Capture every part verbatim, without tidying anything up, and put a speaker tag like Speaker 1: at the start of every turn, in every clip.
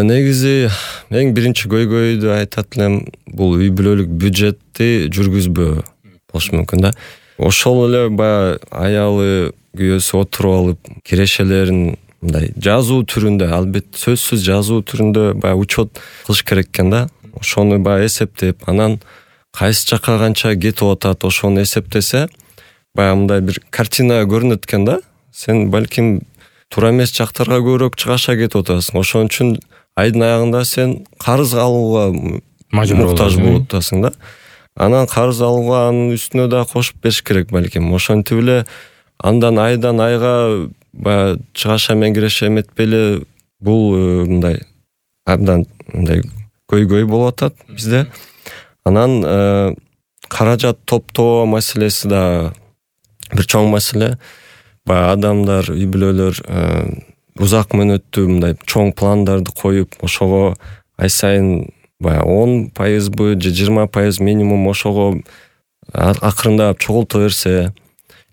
Speaker 1: Негизи эң биринчи көйгөйдү айтат элем, бул үй бүлөлүк бюджетти жүргүзбөө болушу мүмкүн да. Ошол эле баягы аялы күйөөсү отуруп алып кирешелерин мындай жазуу түрүндө, албетте сөзсүз жазуу түрүндө баягы учет кылыш керек экен да. Ошону баягы эсептеп, анан кайсы жака канча кетип атат, ошону эсептесе, баягы мындай бир картина көрүнөт экен да. Сен балким туура эмес жактарга көбүрөөк чыгаша кетип атасың. Ошон үчүн айдын аягында сен карыз алууга муктаж болуп атасың да. Анан карыз алууга анын үстүнө да кошуп бериш керек балким. Ошентип эле андан айдан айга баягы чыгаша менен киреше эметпей эле бул мындай абдан мындай көйгөй болуп атат бизде. Анан каражат топтоо маселеси да бир чоң маселе. Баягы адамдар, үй бүлөлөр узак мөөнөттүү мындай чоң пландарды коюп, ошого ай сайын баягы он пайызбы же жыйырма пайыз минимум ошого акырындап чогулта берсе,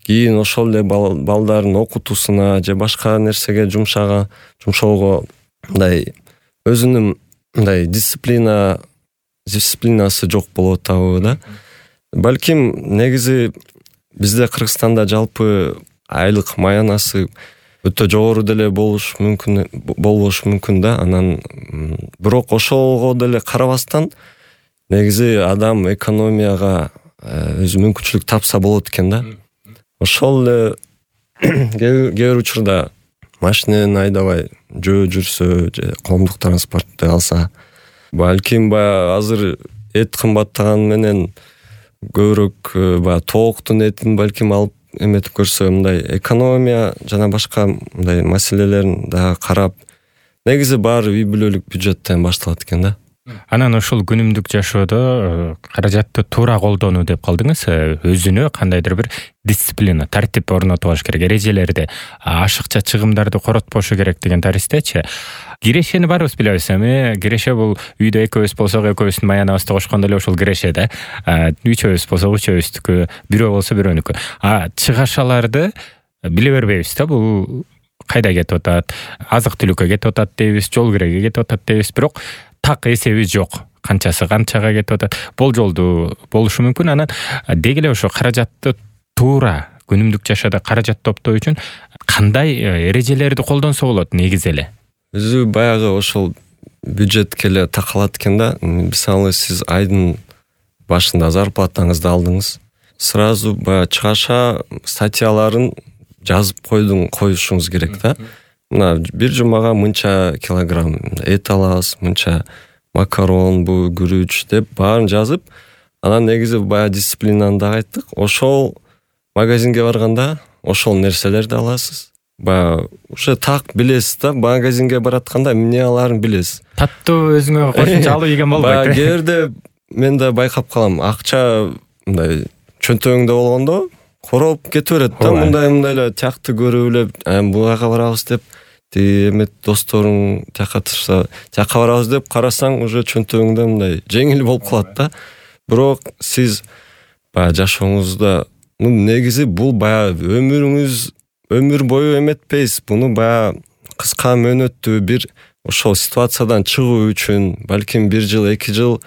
Speaker 1: кийин ошол эле балдардын окутуусуна же башка нерсеге жумшага жумшоого мындай өзүнүн мындай дисциплина дисциплинасы жок болуп атабы да. Балким негизи бизде Кыргызстанда жалпы айлык маянасы өтө жогору деле болуш мүмкүн болбош мүмкүн да. Анан бирок ошого деле карабастан негизи адам экономияга өзү мүмкүнчүлүк тапса болот экен да. Ошол эле кээ бир учурда машинени айдабай жөө жүрсө же коомдук транспортду алса, балким баягы азыр эт кымбаттаганы менен көбүрөөк баягы тооктун этин балким алып эметип көрсө, мындай экономия жана башка мындай маселелерин да карап, негизи баары үй бүлөлүк бюджеттен башталат экен да.
Speaker 2: Анан ошол күнүмдүк жашоодо каражатты туура колдонуу деп калдыңыз. Өзүнө кандайдыр бир дисциплина, тартип орнотуп алыш керек, эрежелерди, ашыкча чыгымдарды коротпошу керек деген таристечи. Кирешени баарыбыз билебиз. Эми киреше бул үйдө экөөбүз болсок, экөөбүздүн маянабызды кошкондо эле ошол киреше да. Үчөөбүз болсок, үчөөбүздүкү, бирөө болсо бирөөнүкү. А чыгашаларды биле бербейбиз да. Бул кайда кетип атат? Азык түлүккө кетип атат дейбиз, жол киреге кетип атат дейбиз, бирок так эсебиз жок. Канчасы канчага кетип атат? Болжолдуу болушу мүмкүн. Анан деги эле ошо каражатты туура күнүмдүк жашоодо каражат топтоо үчүн кандай эрежелерди колдонсо болот негизи эле?
Speaker 1: Өзү баягы ошол бюджетке эле такалат экен да. Мисалы сиз айдын башында зарплатаңызды алдыңыз. Сразу баягы чыгаша статьяларын жазып койдуң, коюшуңуз керек да. Мына бир жумага мынча килограмм эт алабыз, мынча макарон, бу күрүч деп баарын жазып, анан негизи баягы дисциплинаны да айттык. Ошол магазинге барганда ошол нерселерди аласыз. Баягы уже так билесиз да, магазинге баратканда эмне алаарын билесиз.
Speaker 2: Таттуу өзүңө кошумча алып ийген болбойт.
Speaker 1: Баягы кээде мен да байкап калам, акча мындай чөнтөгүңдө болгондо короп кете берет да, мындай мындай эле тиякты көрүп эле, буга барабыз деп, тиги эмет досторуң тияка турса, тияка барабыз деп карасаң, уже чөнтөгүңдө мындай жеңил болуп калат да. Бирок сиз баягы жашооңузда, ну негизи бул баягы өмүрүңүз өмүр бою эметпейсиз. Буну баягы кыска мөөнөттүү бир ошол ситуациядан чыгуу үчүн балким бир жыл, эки жыл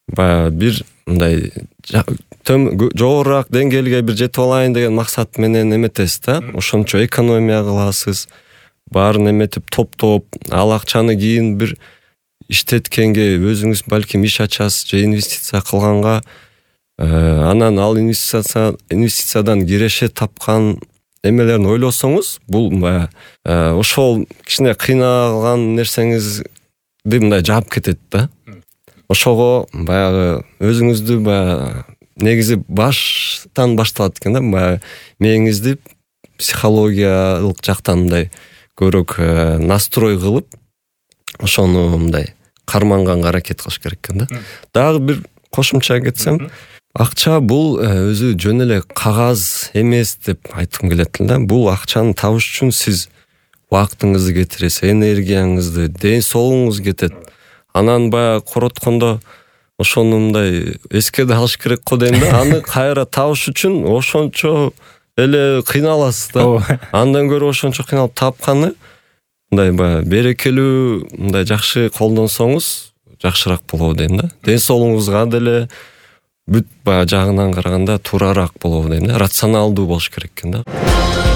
Speaker 1: баягы бир мындай жогорураак деңгээлге бир жетип алайын деген максат менен эметесиз да. Ошончо экономия кыласыз, баарын эметип топтоп, ал акчаны кийин бир иштеткенге өзүңүз балким иш ачасыз же инвестиция кылганга, анан ал инвестиция инвестициядан киреше тапкан эмелерин ойлосоңуз, бул баягы ошол кичине кыйналган нерсеңизди мындай жаап кетет да. Ошого баягы өзүңүздү баягы негизи баштан башталат экен да. Баягы мээңизди психологиялык жактан мындай көбүрөөк настрой кылып, ошону мындай карманганга аракет кылыш керек экен да. Дагы бир кошумча кетсем, акча бул өзү жөн эле кагаз эмес деп айткым келет да. Бул акчаны табыш үчүн сиз убактыңызды кетиресиз, энергияңызды, ден соолугуңуз кетет. Анан баягы короткондо ошону мындай эске да алыш керек го дейм да. Аны кайра табыш үчүн ошончо эле кыйналасыз да. Андан көрө ошончо кыйналып тапканы мындай баягы берекелүү, мындай жакшы колдонсоңуз жакшыраак болобу дейм да. Ден соолугуңузга деле бүт баягы жагынан караганда туурараак болобу дейм да. Рационалдуу болуш керек экен да.